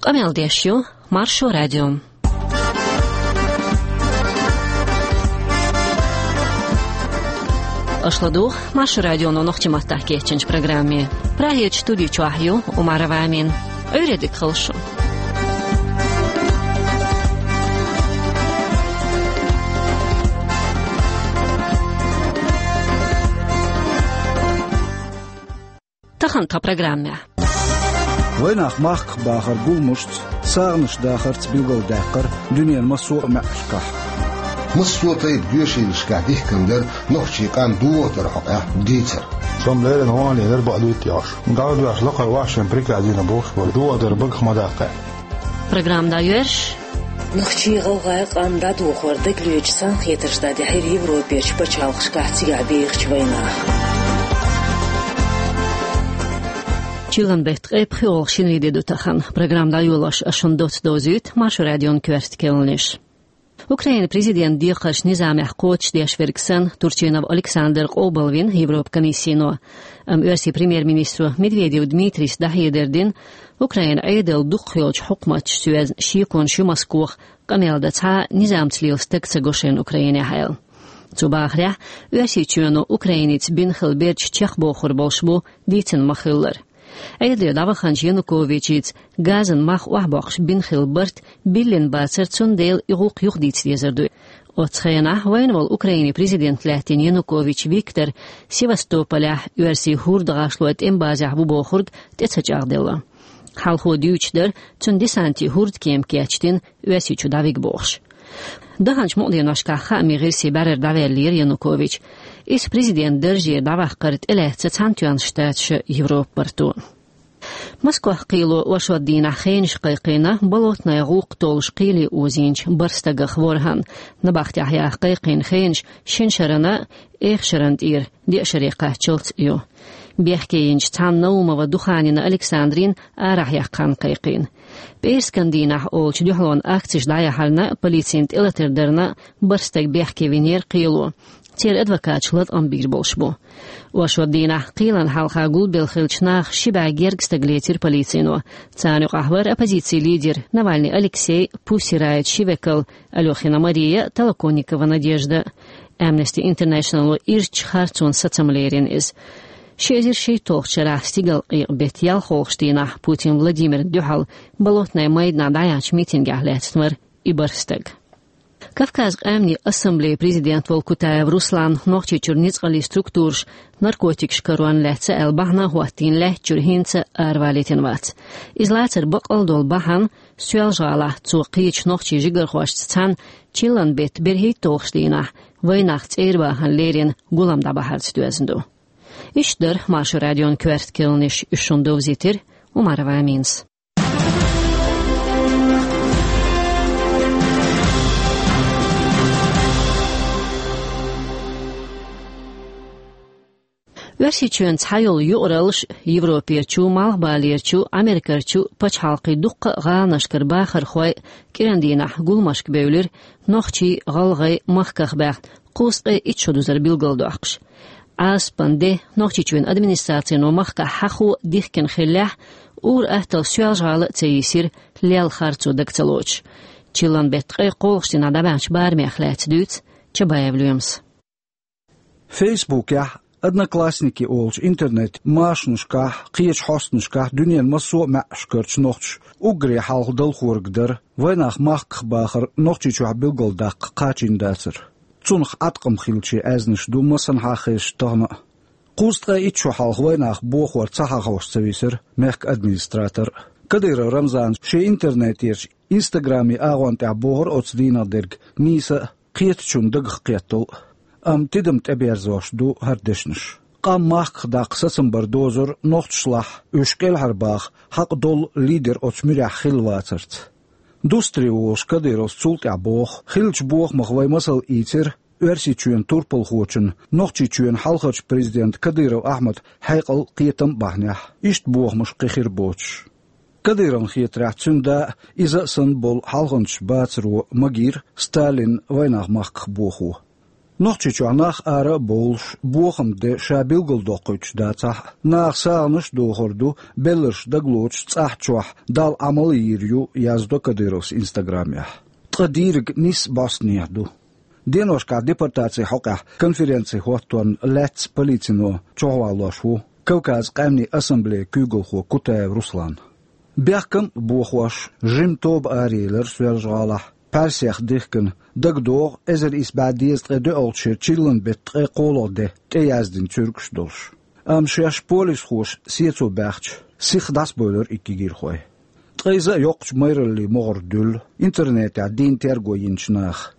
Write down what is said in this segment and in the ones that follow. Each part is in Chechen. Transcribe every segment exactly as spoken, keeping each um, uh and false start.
Къамел деш ю Маршо радио. Аша ладугӀу Маршо радионо нохчийн маттахь кечйинчу программе. Прагерчу студи чохь ю Умарова Амина. Ӏуьйре дика хуьлда шун. Тахана тхан программехь. Вайнах махках бахар гуламашца, сагӀанаш дахарца билгалдаьккхира дуьненан массо а маьӀӀашкахь. Массо а тайпа доьшийлашкахь дихкина дара нохчийн къам дохадар хьокъехь дийцар. Со-м леррина вахана лелар бакъ дуьйцу яхаш. ДӀа а доьхьаш лакхара вахчан приказ дина бохуш бара. Дохадар багах ма даккха. Программа дӀайоьрзуш. Нохчийн-гӀалгӀайн къам дӀадохор дагалоьцуш цхьаьнакхетарш дӀадихьира Европерчу пачхьалкхашкахь цигахь бехачу вайнаха. Чиллан беттан ткъе пхоьалгӀа шинарин де ду тахана. Программа дӀайолош ас шуна доцца довзуьйту Маршо радион коьрта кхаьънаш. Украинан президентан декхарш низамехь кхочушдеш верг санна, Турчинов Александр къобалвина Европан комиссино. Амма Оьрсийн премьер-министро Медведев Дмитрийс дӀахьедар дина, Украинан Ӏедал дукхах йолчу хьукматашца йоьзна шеконаш ю Москвахь, къамел дан цхьа а низамца лела стаг ца го шайна Украинехь аьлла. Цо бахарехь, Оьрсийчоьно Украиница бина хилла бердаш чекхбохур болуш бу дийцина ма-хиллара. Ӏедале дӀаваханчу Януковичица газан мах охьабоккхуш бина хилла барт биллина бацара, цундела и гӀуллакх юхадийца дезар ду. Оццу хенахь вайна волу Украинан президент лаьттина Янукович Виктор Севастополехь оьрсийн хӀордахашлойн тӀеман базехь ву бохург тӀе ца чӀагӀделла. Хьалхо дуьйцуш дара, цуьнан десанте хӀордан кема кечдина, Оьрсийчу дӀавига бохуш. Даханчу мукъа деношкахь хаамийн гӀирсийн бӀаьрара дӀаваьллера Янукович. Иза президентан даржера дӀаваккхар тӀелаьцна Цхьаьнатоьхначу Штаташа, Европа барто. Москвахь кхело оршот дийнахь хенаш кхайкхийна болотнай гӀуллакх толлуш кхеле озийначу бархӀ стагах ворхӀанна. Набахтехь яха кхайкхийна хенаш шина шарна а, эха шарна тӀера деа шаре кхаччалц а ю. Бехке йинчу цхьана Наумова Духанина Александрина арахь яккха хан кхайкхийна. ПӀераскан дийнахь олучу дуьхьалонан акцеш дӀаяхьарна а, полицина тӀелатар дарна а бархӀ стаг бехке винера кхело. Церан адвокаташ латкъам бийр болуш бу. Оршот дийнахь кхелана хьалха гулбелла хиллачу нахах ши бӀе гергга стаг лецира полицино. Царна юкъахь вара оппозицин лидер Навальный Алексей, Pussy Riot ши векал, Алёхина Мария, Толоконникова Надежда. Amnesty International-о ирча харцонан сацам лерина иза. Ши эзар шийтталгӀачу шарахь стигалкъекъа беттан ялхолгӀачу дийнахь Путин Владимирна дуьхьал Болотнай майданахь дӀаяьхьначу митингехь лаьцна вара и бархӀ стаг. Кавказан къаьмнийн ассамблеян президент волу Кутаев Руслан Нохчийчуьра ницкъаллин структураша наркотикаш каронна лаьцна аьлла бахьана хӀоттийна лаьттачуьра хӀинца аравалийтина вац. Иза лацар баккъал долу бахьана Соьлжа-ГӀалахь цо кхечу нохчийн жигархошца цхьаьна чиллан беттан берхӀитталгӀачу дийнахь вайнах цӀера бахарна лерина гулам дӀабахьарца доьзна ду. Иштта дара Маршо радион коьрта кхаьънаш, уьш шуна довзийтира Умарова Аминас. Оьрсийчоьнан цхьайолу юкъараллаш Европерчу, Малхбалерчу, Америкерчу пачхьалкхийн дуккха а гӀаланашкара бахархой кӀиран дийнахь гуламашка бевлира нохчий, гӀалгӀай махках баьхна кхузткъе итт шо дузар билгалдоккхуш. Ӏазапан де Нохчийчоьнан администрацино махкахь хьахо дихкина хиллехь, ур-атталла Соьлжа-ГӀала а ца йийсира, лелла харцо дага ца лоцуш. Чиллан беттан ткъе кхоалгӀачу дийнахь дӀабаьхначу барамех лаьцна дуьйцу Чабаев Лоьмас. Фейсбукехь, Одноклассники олучу интернет-машанашкахь, кхечу хьостанашкахь дуьненан массо а маьӀӀашкарчу нохчаша уггаре хьалха далхориг дара вайнах махках бахар Нохчийчохь билгалдаккха кхачийна дацар. Цунах Ӏаткъам хиллачийн аьзнаш ду массанхьа а хезаш тахана а. Кхузткъе итт шо хьалха вайнах бохор ца хьахош ца висира мехкан администратор. Кадыров Рамзана шен интернетерчу Инстаграман агӀон тӀехь бохура оцу дийнах дерг нийса а, кхетачунна дагах кхеттал а. Амма тидам тӀеберзош ду хӀара дешнаш. Къам махках даккха сацам бар дозура нохчашлахь, уьш кӀелхьарбаха хьакъ долу лидер оцу муьрехь хилла вацарца. Дустаре волуш Кадыровс цул тӀаьхьа боху: «Хиллачу бохамах вай масал ийцира Оьрсийчоьнан турпалхочун, Нохчийчоьнан хьалхарчу президентан Кадыров Ахьмадан хьекъал, кхетам а бахьанехь». Иштта бохамаш кхин хир боцуш. Кадыровна хетарехь, цуьнан да а, иза а санна болу хьалханчаш бацаро магийра Сталинна вайнах махках бохо. Нохчийчохь нах ара а бовлуш, бохам де ша билгалдоккхуьйтуш дацахь а, наха сагӀанаш а дохур ду, белларш дагалоцуш цӀахь чохь Далла Ӏамал а йийр ю, яздо Кадыровс Инстаграмехь. Ткъа дийриг нисса бӀостанехьа ду. Деношкахь депортацин хьокъехь конференци хӀотторна лаьцна полицино чохь валош ву Кавказан къаьмнийн ассамблеин куьйгалхо Кутаев Руслан. Бехкам а бохош, жима тоба араелира Соьлжа-ГӀалахь, пхьаьрсех дихкина, дагадогӀу эзар исс бӀе дезткъе доьалгӀачу шеран чиллан беттан ткъе кхоалгӀа де тӀеяздина цуьргаш долуш. Амма шаьш полисхоша сецо баьхча, сиха дӀасабевлира и кегийрхой. Ткъа иза а йоккхачу майраллин могӀара дуьллу интернетехь дийна терго йинчу наха.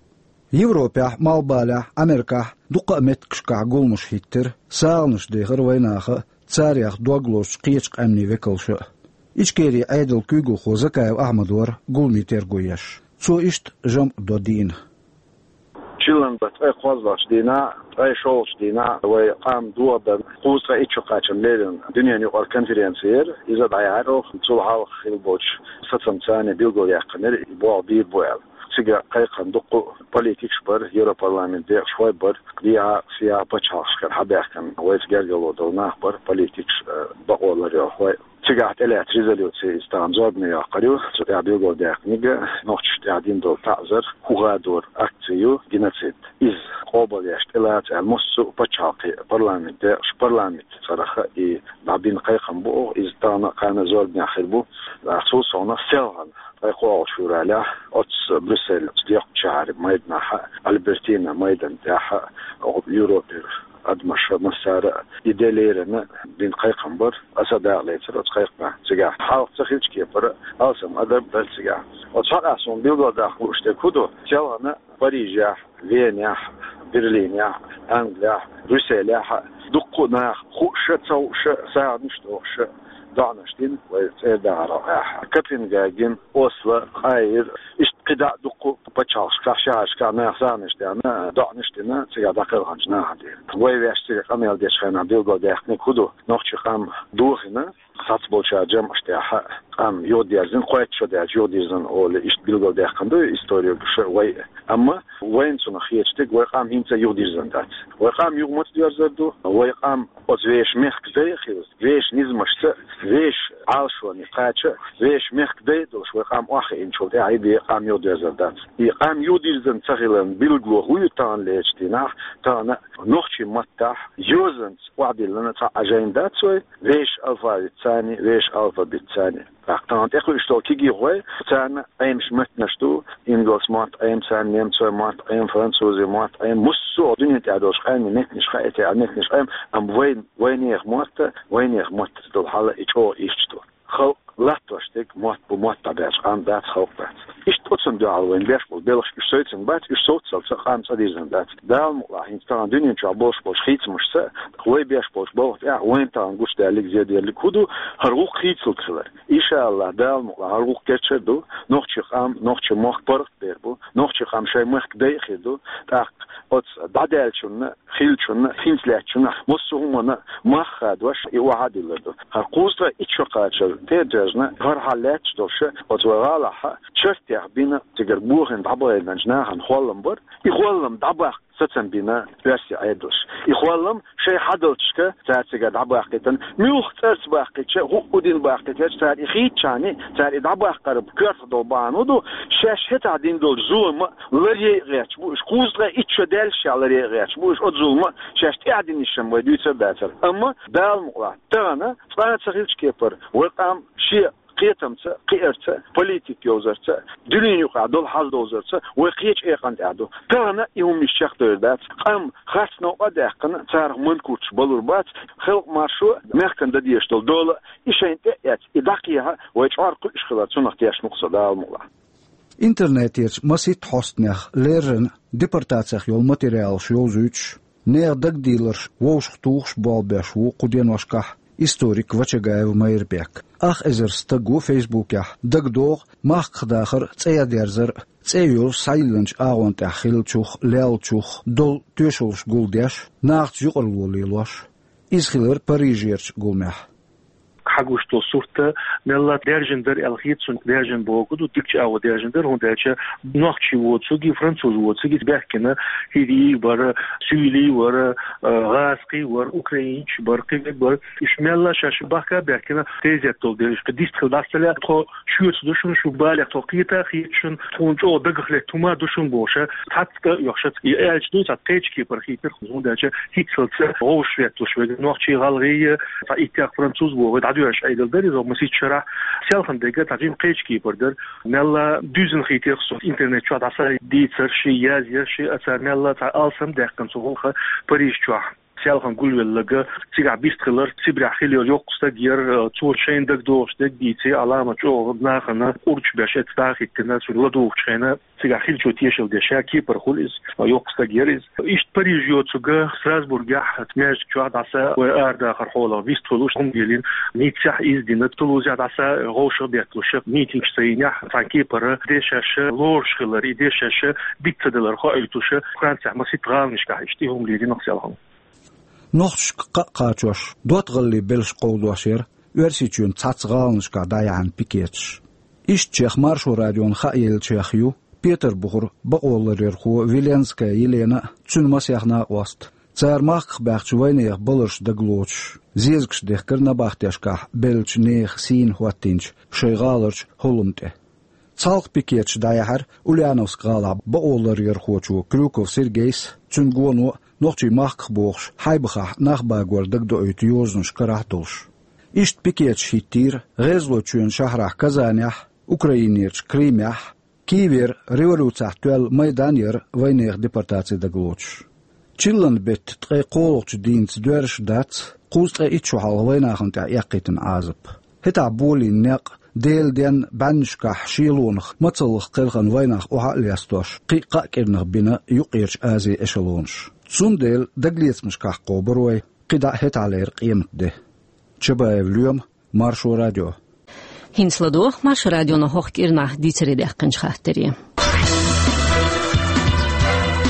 Европехь, Малхбалехь, Америкахь дуккха а меттигашкахь гуламаш хӀиттира, сагӀанаш дехира вайнаха а, царех дог лозучу кхечу къаьмнийн векалша а. Ичкерин Ӏедалан куьйгалхо Закаев Ахьмад вара гуламийн терго еш. Цо иштта жамӀ до дийнан. Чиллан беттан ткъе кхоалгӀачу дийнахь, ткъе шолгӀачу дийнахь вай къам дохадарна кхузткъе итт шо кхачарна леррина дуьненан юкъара конференци яра. Иза дӀаяьхьира оха, цул хьалха хилла болчу сацамца билгалъяьккхинера, и болх бийр бу аьлла. Цига кхайкхина дуккха а политикаш бара, Европарламентан декъашхой бара, дехьа-сехьа пачхьалкхашкара хьабаьхкина вайца гергарло долу нах бара, политикаш, э, бакъо ларъярхой. Цигахь тӀелаьцна резолюци иза тахана зорбане йоккхур ю, цу тӀехь билгалдаьккхинарг нохчашна тӀехь дина долу таӀзар, хӀун хадор акци ю, геноцид. Иза къобалъеш тӀелаца аьлла, массо а пачхьалкхан парламентан декъашхой, парламентан цӀарах и дӀабина кхайкхам бу оха, иза тахана а кхана а зорбанехь хир бу. Цул совнаха селхана ткъе кхоалгӀачу февралехь оццу Брюссель, оцу доккхачу шахьаран майданахь а, Альбертина майдан тӀехь а, оха Европера адамаша массара а и де леррина бина кхайкхам бара, аса а дакъалецира оцу кхайкхамехь цигахь. Хьалха ца хиллачу кепара алсам адам дара цигахь. Оцу хьокъехь суна билгалдаккха лууш дерг хӀун ду? Селхана Парижехь, Венехь, Берлинехь, Англехь, Брюсселехь а дуккха а наха хууш а, ца хууш а, сагӀанаш а дохуш а, доӀанаш дина вай цӀера дахарал тӀехь. Копенгаген, Осло, Каир, иштта кхидӀа а дуккха а пачхьалкхашкахь, шахьаршкахь наха сагӀанаш а даьхна, доӀанаш а дина цигахь дӀакхелхинчу нахана тӀера. Вай ваьш цига къамел дечу хенахь билгалдаьккхинарг хӀун ду? Нохчийн къам дохийна, цхьаццаболчара жамӀаш тӀехь а къам юхадерзийна, кхойтта шо даьлча юхадирзина олий, иштта билгалдаьккхина ду историгаша вай а. Амма вайна цунах хеташ дерг, вай къам хӀинца а юхадирзина дац. Вай къам юха маца доьрзур ду? Вай къам оцу вешан мехкан дай а хилла, вешан низамашца, вешан Ӏалашоне кхача, вешан мехкан дай а долуш вай къам охьахиъначул тӀаьхьа и бен къам юхадоьрзур дац. И къам юхадирзина ца хиларна билгало хӀун ю тахана лерачу дийнахь? Тахана нохчийн маттахь йозанца охьадиллина цхьа а жайна дац вай, вешан алфавитца а, вешан алфавитца а. ТӀаккха тахана тӀекхуьуш долу кегийрхой, царна Ӏемаш меттанаш ду, ингалс мотт Ӏема царна, немцойн мотт Ӏема, французийн мотт Ӏема, массо а дуьнен тӀехь долчу къаьмнийн меттанаш хаьа, церан меттанаш Ӏема, амма вайн, вайнехан мотт, вайнехан маттаца долу хьал и чӀогӀа ирча ду. Халкъ латтош дерг мотт бу, мотт дӀабаьлча къам дац, халкъ дац. Иштта оцунна дуьхьал вайна беш болу белхаш уьш совцийна бац, уьш совццалц а къам цӀа дирзина дац. Дала мукъалахь, хӀинца тахана дуьнен чохь болуш болчу хийцамашца, вай беш болчу балха тӀехь вайна тахана гучу даьллиг, зеделлиг хӀун ду? ХӀара гӀуллакх хийцалург хилар. Иншааллахь, Дала мукъалахь, хӀара гӀуллакх кечдер ду, нохчийн къам, нохчийн мохк паргӀат бер бу, нохчийн къам шайн мехкан дай а хир ду, тӀаккха оцу дӀадаьллачунна, хиллачунна, хӀинца лаьттачунна, массо а хӀуманна мах хадош и охьа а диллар ду. ХӀара кхузткъе итт шо кхачар тӀе а тоьжна, хӀара хьал лаьтташ долуш, оцу вай гӀалахь чартех бина, цигара бохийна дӀабахийтинчу нахана холлам бара. И холлам дӀабаккха сацам бина оьрсийн Ӏедалша. И холлам шайн хьадалчашка цара цигара дӀабаккхийтина, муьлхха цӀарца баккхийча, хӀуъу дина баккхийтича, цара и хийцчахьана, цара и дӀабаккхар коьртах долу бахьана хӀун ду, шаьш хӀетахь дина долчу зулам а ларъяй а гӀерташ бу уьш, кхузткъе итт шо даьллашехь ларъяй а гӀерташ бу уьш оцу зулам а, шаьш тӀаьхьа динарш-м вай дуьйцур а дацара. Амма, Дала мукъалахь, тахана цкъа а ца хиллачу кепара вай къам шен кхетамца, кхиарца, политика йовзарца, дуьненан юкъахь долу хьал довзарца вай кхечу экъан тӀехь ду. Тахана и хӀума иштта чекхдевр дац. Къам харц новкъа а даьккхина, царах манкурташ балур бац, халкъан маршо, мехкан дан дезаш долу дола, и шайна тӀе а эцна, и дӀакхехьа, вай чкъор кхуьуш хилар, цунах тешна ву-кх со, Дала мукъалахь. Интернетерчу масийтта хьостанех леррина депортацех йолу материалаш йовзуьйтуш, нехан дагадийларш вовшахтухуш болх беш ву кху деношкахь историк Вачагаев Майрбек. Ах эзар стаг ву Фейсбукехь, дагадогӀу махках дахар а, цӀе дерзар а, цӀе йолуш схьайиллинчу агӀон тӀехь хиллачух, леллачух долу тоьшаллаш гулдеш, нахаца юкъарло лелош. Иза хилира Парижерчу гуламехь. хьагуш долу сурт мелла даьржина дара аьлла хета суна, даьржина бохург ду, дикачу агӀор даьржина дара, хӀунда аьлча нохчий воцург, француз воцург, иза баьхкина хӀирий бара, суьйлий вара, а, гӀазкхий вара, украинцаш бара, кхин верг бара. Уьш мелла шаьш бахка а баьхкина, тезет долу дерриш, кхин дистхила дӀасалаьа, тхо шуьца ду шуна, шу балех тхо кхета а хета шуна, тхуна чӀогӀа дагах летта хӀума ду шуна бохуш, цхьацца а оьхуш, и аьлча ду, цхьа кхечу кепара хийтира, хӀунда аьлча хӀинццалц вовшахветталуш верг нохчий, гӀалгӀай, цхьа иттех француз вогӀий, дӀадоьжуш Ӏедал дара иза, масийтта шарахь, селхана дерг цхьа жимма кхечу кепара дара. Мелла дуьззина хийтира суна интернет чохь дӀаса дийцарш, язъярш, а цара мелла цхьа алсам даьккхина цу гӀуллакха Париж чохь. Селхана гулвелларг цигахь бист хилар, Сибрехь хилла йолу йоккха стаг яра, цо шайна дагадогӀуш дерг дийци, Ӏаламат чӀогӀа нахана къурдаш беш эцна дӀахӀиттина, цуьнга ладугӀучу хенахь цигахь хиллачо тешалла деш, ша кепара хуьлу иза, йоккха стаг яра иза. Иштта Париж йоцург Страсбургехь маьждиг чохь дӀаса вай арадахар хьолах вистхуьлуш хӀума лелийна, Ниццехь иза дина, Тулузехь дӀаса вовшах а бетталуш, митингаш ца йинехь, цхьана кепара дешаш лоруш хилар, и дешаш диц ца далар хоуьйтуш, Францехь масийтта гӀаланашкахь иштта и хӀума лелийна селхана. Нохчашка кхаъ кхачош, доттагӀаллин белш кховдош яра Оьрсийчоьнан цхьацца гӀаланашкахь дӀаяьхьна пикеташ. Ишттачех Маршо радиона хаа еллачех ю Петарбухера бакъоларъярхо Виленская Елена а, цуьнан масех накъост а. Цара махках баьхначу вайнехан баларш дагалоцуш, зезагаш дехкира набахтешкахь беллачу нехан сийна хӀоттийначу шайн гӀаларчу хӀолламна тӀе. Цхьалха пикеташ дӀаяьхьира Ульяновск-гӀалахь бакъоларъярхочо Крюков Сергейс а, цуьнан гоно а, нохчий махках бохуш, Хьайбахахь нах багор дагадоуьйту йозанаш карахь а долуш. Иштта пикеташ хӀиттийра ГӀезалойчоьнан шахьарахь Казанехь а, Украинерчу Крымехь а, Киевера революцехь тоьлла майдан яра вайнехан депортаци дагалоцуш. Чиллан беттан ткъе кхоалгӀачу дийнца доьрзуш дац кхузткъе итт шо хьалха вайнахана тӀехь эккхийтина Ӏазап. ХӀетахь болийна некъ, Делан денна бӀаьннашкахь шелонах мацаллах кхелхина вайнах охьа а лестош, кхин а кхаа кӀирнах бина Юккъерчу Азин эшелонаш. Цундела дагалецамашкахь кхобур вай, кхидӀа а хӀетахьлера къематде. Чабаев Лоьма, Маршо радио. ХӀинца ладогӀа Маршо радионо хӀокху кӀирнахь дийцаре даьккхинчу хаттаре.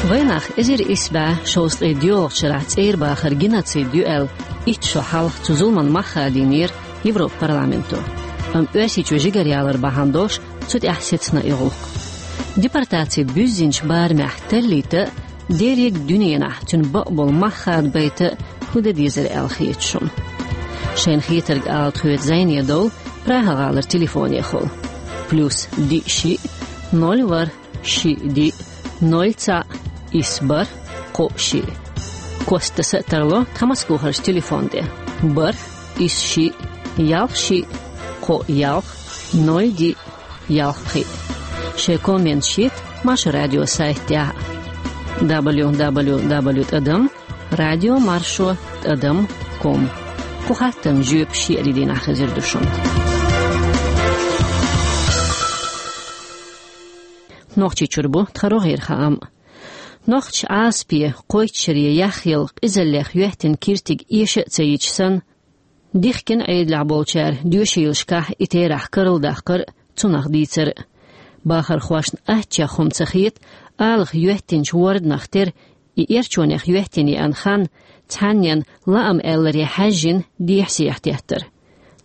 Вайнах эзар исс бӀе шовзткъе доьалгӀачу шарахь цӀера бахар геноцид ю аьлла, итт шо хьалха цу зуламан мах хадийнера Европа парламенто. Амма Оьрсийчоь жигара ялар бахьана долуш, цу тӀехь сецна и гӀуллакх. Депортаци буьззинчу барамехь таллийта а, дерриг а дуьненахь цуьнан бакъболу мах хадабайта а хӀун дан дезара аьлла хета шуна? Шайна хетарг ала тхоьца зӀене довла Прага-гӀалара телефонехула: плюс диъ шиъ, ноль ворхӀ, шиъ диъ, ноль цхьаъ, исс бархӀ, кхоъ шиъ. Кост таса а тарло тхан Москвахарчу телефон тӀе: бархӀ, исс шиъ, ялх шиъ, кхоъ ялх, ноль диъ, ялх пхиъ. Шайн комменташ йита Маршо радион сайта тӀехь а: дабл ю дабл ю дабл ю тӀадам радио маршо тӀадам ком. Кху хаттарна жоьпаш шиъ-диъ дийнахь хезар ду шуна. Нохчийчуьра бу тхан рогӀера хаам. Нохчаша Ӏазапе, кхойтта шаре яхъелла къизаллех йоьттина киртиг эша а ца йича санна, дихкина Ӏедалехь болчара доьшийлашкахь и терахь карладаккхар а, цунах дийцар а. Бахархошна аттачех хӀума ца хета, алах йоьттинчу ворданах тера и эрчонех йоьттина еана хан цхьаннен лаам аьлларе хьаьжжина дехьа-сехьа теттар.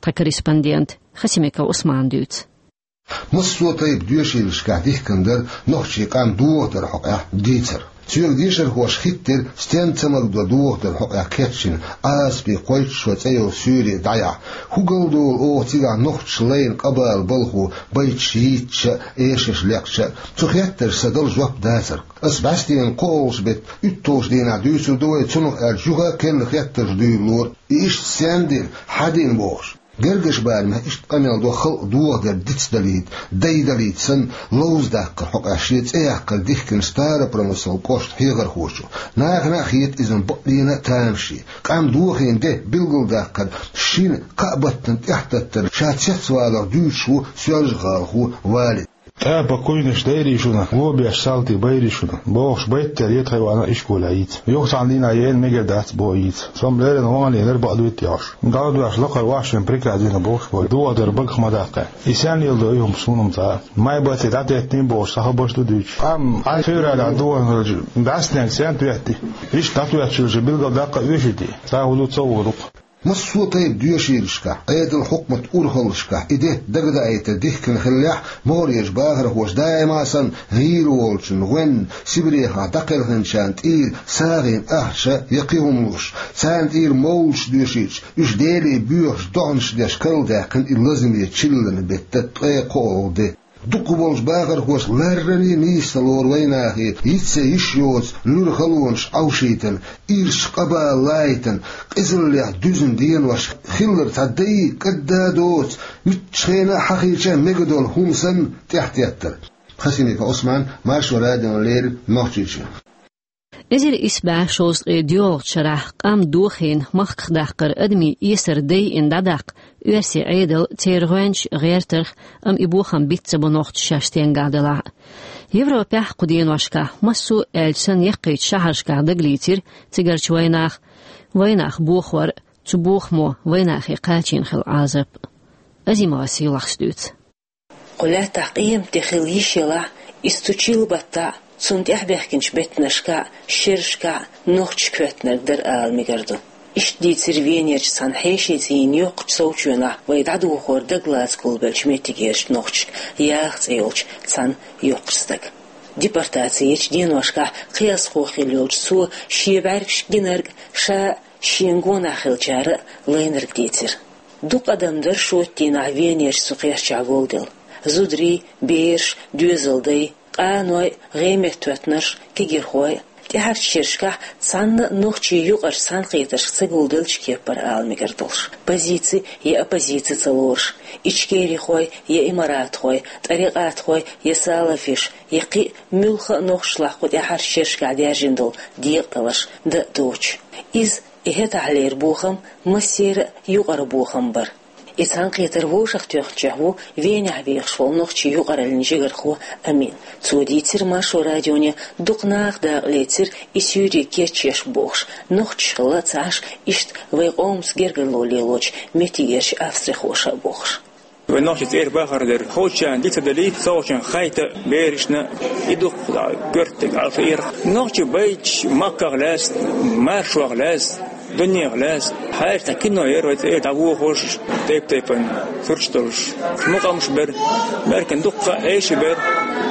Тхан корреспондента Хасимиков Усмана дуьйцу. Массо а тайпа доьшийлашкахь дихкина дара нохчийн къам дохадаран хьокъехь дийцар. Цуьнга дешархоша хиттира, стенна ца магадо дохадаран хьокъехь кечйина Ӏазапе, кхойтта шо цӀе йолу суьйре дӀаяхьа. ХӀун гал долу оха цигахь нохчаша лайна къа-бала балхо, байташ йийцича а, эшарш лекхча а? Цу хеттаршна сан дала жоп дацара. Ас бӀаьстенан кхоалгӀачу беттан уьтталгӀачу дийнахь дуьйцур ду вай, цунах аьлча юха а керла хеттарш дуьйлалора, и иштта стенна дина, хьан дина бохуш. Гергарчу барамехь иштта къамел до халкъ дохадар дицдалийта, дайдалийта санна, ловзадаккхаран хьокъехь шен цӀе яккхар дихкина Старопромыслан кӀоштан хьехархочо. Нахана а хета иза бакъдерг а тамаше. Къам дохийна де билгалдаккхар шина, кхаа баттана тӀаьхьататтар ша цецваларх дуьйцуш ву соьлжагӀалахо Валид. ТӀаккха куьйнаш дайрий шуна, го беш салтий байрий шуна, бохуш, байтта тера тхайн ваьӀна ишколехь йийца. Юха цхьана дийнахь еана мегар дац боху йийца. Со-м леррина вахана енара, бакъ дуй-те аьлла. ДӀа а доьшуш, лакхара вайшимма приказ дина бохуш, вай дохадар багах ма даккха. И стенна леладо и хӀума суна-м ца хаьа. Май баттахь дӀатеттина бохуш, цхьа хабарш ду дуьйцуш. Амма февралехь дохийна хилча, бӀаьстенга стенна тоьттий? Иштта дӀатоьттуш хилча, билгалдаккха а оьший-те? Цхьа хӀун ду, ца хӀун ду-кх. Массо а тайпа доьшийлашкахь, Ӏедал, хьукмат урхаллашкахь и де дагадаийта дихкина хиллехь, могӀарерчу бахархоша даима а санна гӀийла волчун гӀоьнна, Сибрехахь дӀакхелхинчарна тӀера сагӀина ахча я кхин хӀума луш, царна тӀера мовлаш доьшуьйтуш, уьш Деле боьхачу доӀанаш деш карладаьккхина и лазаме чиллан беттан ткъе кхоалгӀа де. Дукхахболчу бахархоша ларране а нийса ца лору вайнахе, йицъян йиш йоцу луьра халонаш Ӏовшийтина, ирча къа бала лайтина, къизаллех дуьзна денош хилар цхьа дай, кӀадда а доцу, муьлххачу хенахь а хьахийча мега долу хӀума санна, тӀаьхьатеттар. Хасимиков Ӏусман, Маршо радиона леррина, Нохчийчоь. Эзар исс бӀе шовзткъе доьалгӀачу шарахь къам дохийна махках даккхар адамийн эсар дайина дӀадаккха оьрсийн Ӏедал церан гӀоьнча гӀертарх, амма и бохам биц ца бо нохчаша шаьш стенгахь делахь а. Европехь кху деношкахь массо а аьлча санна яккхийчу шахьаршкахь дагалийцира цигарчу вайнах, вайнах бохор, цу бохамо вайнахе кхачийна хилла Ӏазап. Азимова Сийлахьас дуьйцу. Кху лаьттахь къематде хилла йиш елахь а, иза цу чиллан баттахь а, цунна тӀаьхьабаьхкинчу беттанашкахь а, шерашкахь а нохчаша хӀоьттинарг дара ала мегар ду. Иштта дийцира Венерчу цхьана хьешийн цӀийнан йоккхачу совчоьнахь вай дӀадохор дагалаца гулбеллачу меттигерчу нохчашка Яха цӀе йолчу цхьана йоккхачу стага. Депортаци ечу деношкахь кхиазхо хилла йолчу цо шен бӀаьргашка гинарг а, ша а, шена гонах хиллачара а лайнарг дийцира. Дукха адам дара шоьтан дийнахь Венерчу цу кхерчахь гулделла. Зударий, бераш, доьзалдай, къаной, гӀеметтахӀоьттинарш, кегирхой а. ТӀаьхьарчу шерашкахь цхьанна а нохчийн юкъарчу цхьаьнакхетаршка ца гулделлачу кепара ала мегар долуш, позици я оппозици ца лоруш, ичкерихой я имаратхой, тӀарикъатхой я салафиш, я кхин а муьлхха а нохчашлахь кху тӀаьхьарчу шерашкахь даьржина долу декъадаларш дан а доцуш. Иза, и хӀетахьлера бохам, массеран а юкъара бохам бара. И цхьаьнакхетар вовшахтоьхначех ву Венехь вехаш волу нохчийн юкъараллин жигархо Амин. Цо дийцира Маршо радионе дукха наха дакъа лецира и суьйре кечъеш бохуш, нохчаш хилла ца Ӏаш, иштта вайн къомаца гергарло лелочу меттигерчу австрихоша а бохуш. Вай нохчий цӀера бахар дара. Ховчарна диц а далийта, совгӀатчарна хайта берашна, и дукха коьртаниг Ӏалашо эр. Нохчий байташ махках лаьцна, маршонах лаьцна, дуненах лаьцна. Хьаьрча цхьа кино яра вай цӀера дӀавохуш, тайп-тайпана сурташ долуш. Мукъамаш бара, баьркина дуккха а эший бара,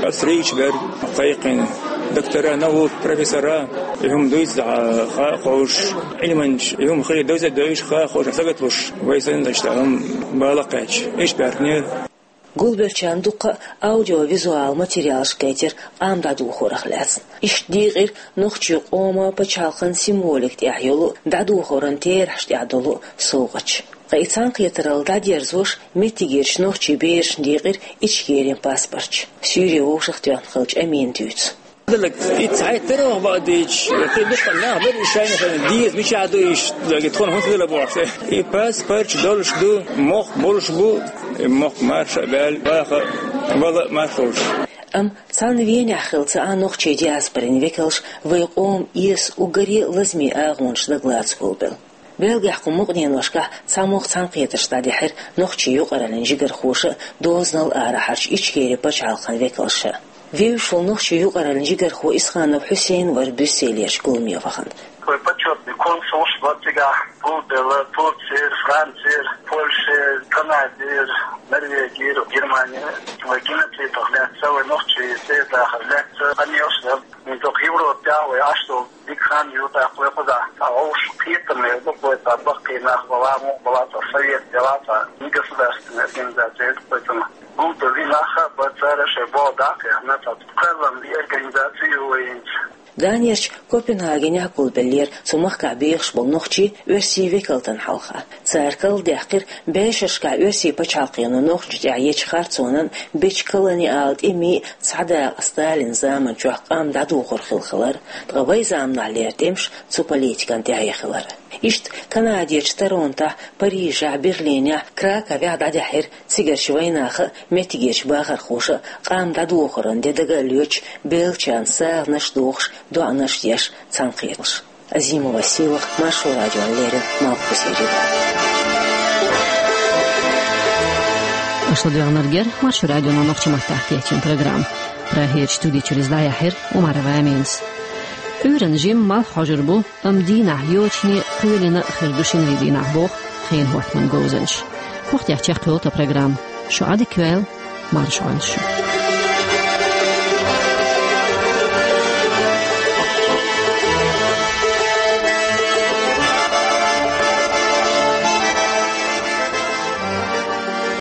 австрийцаш бара, кхайкхина доктора наук, профессора, и хӀума дуьйцу дӀа хаа а ховш, Ӏилманчаш, и хӀума хилар довза а девзаш, хаа а ховш, сагатлуш, вай санна дашта хӀума бала кхаьчча, иштта баьркинера. Гулбеллачарна дуккха а аудиовизуал материалаш кхетира къам дӀадохорах лаьцна. Иштта дийкъира нохчийн къоман пачхьалкхан символика тӀехь йолу а, дӀадохоран терахьаш тӀехь долу а совгӀаташ. Ткъа и цхьаьнакхетаралла дӀадерзош меттигерчу нохчийн берашна дийкъира Ичкерин паспорташ. Суьйре вовшахтоьхна хиллачу Амина дуьйцу. Далла, и цхьайтта тарвах бакъдийча, кхин дукха нах бара, и шайна-шайна деза, мичахь ду иштта, тхуна хӀунда хила бохуш. И паспорташ долуш ду, мохк болуш бу, и мохк марша а баьлла, ваха а, вала а марша волуш. Амма цхьана Венехь хилла ца Ӏа нохчийн диаспорин векалш вайн къоман эсан уггаре а лазаме агӀонаш дагалаца гулбелла. Бельгехь кху мукъа деношкахь цхьа могӀа цхьаьнакхетарш дӀадихьира нохчийн юкъараллин жигархоша а, дозанал арахьарчу Ичкерин пачхьалкхан векалша а. Вевзаш волу нохчийн юкъараллин жигархо Исханов Хьусейн вара Брюсселерчу гуламе вахана. Вай почётный консулш бара цигахь, гулбелла Турцера, Францера, Польшера, Канадера, Норвегера, Германера. Вай геноцидах лаьцна, вай нохчийн цӀера дахар лаьцна къамелаш дара. ХӀинца Европехь вай Ӏаш долу дика хан ю тӀаккха вай кхузахь. Цхьа вовшах кхетам хир ду вай, цхьа баккхий нах бала, мукъа бала, цхьа совет дела, цхьа негосударственная организация ю вай цунах. Гулбелла нах а бара, цара шайн болх дӀа а кхаьхьна, цхьа кхоьллина организаци ю вай хӀинца. Данерчу Копенгагенехь гулбеллера цу махкахь бехаш болу нохчий оьрсийн векалтан хьалха. Цара карладаьккхира бӀешерашкахь оьрсийн пачхьалкхо нохчашна тӀехь ечу харцонан, бечу колониалан тӀемийн цхьа дакъа Сталинан заман чохь къам дӀадохор хилла хилар, ткъа вайн заманахьлера тӀемаш цу политикан тӀаьхье хилар. Иштта Канадерчу Торонтохь, Парижехь, Берлинехь, Краковехь дӀадаьхьира цигарчу вайнаха а, меттигерчу бахархоша а къам дӀадохоран де дага а лоьцуш, бельгачарна сагӀанаш а дохуш, доӀанаш а деш цхьаьнакхетарш. Азимова Сийлахь, Маршо радиона леррина, Малхбузера. Аша ладоьгӀнарг яра Маршо радион нохчийн маттахь кечйина программа. Прагерчу студи чуьра иза дӀаяьхьира Умарова Аминас. Ӏуьйранна жимма малх хьожур бу, амма дийнахьа йочане, кхоьлина а хир ду шинарин дийнахьа, боху хенан хӀоттаман говзанчаша. ХӀокху тӀехь чекхйолу тхан программа. Шу Ӏадика йойла, марша Ӏойла шу.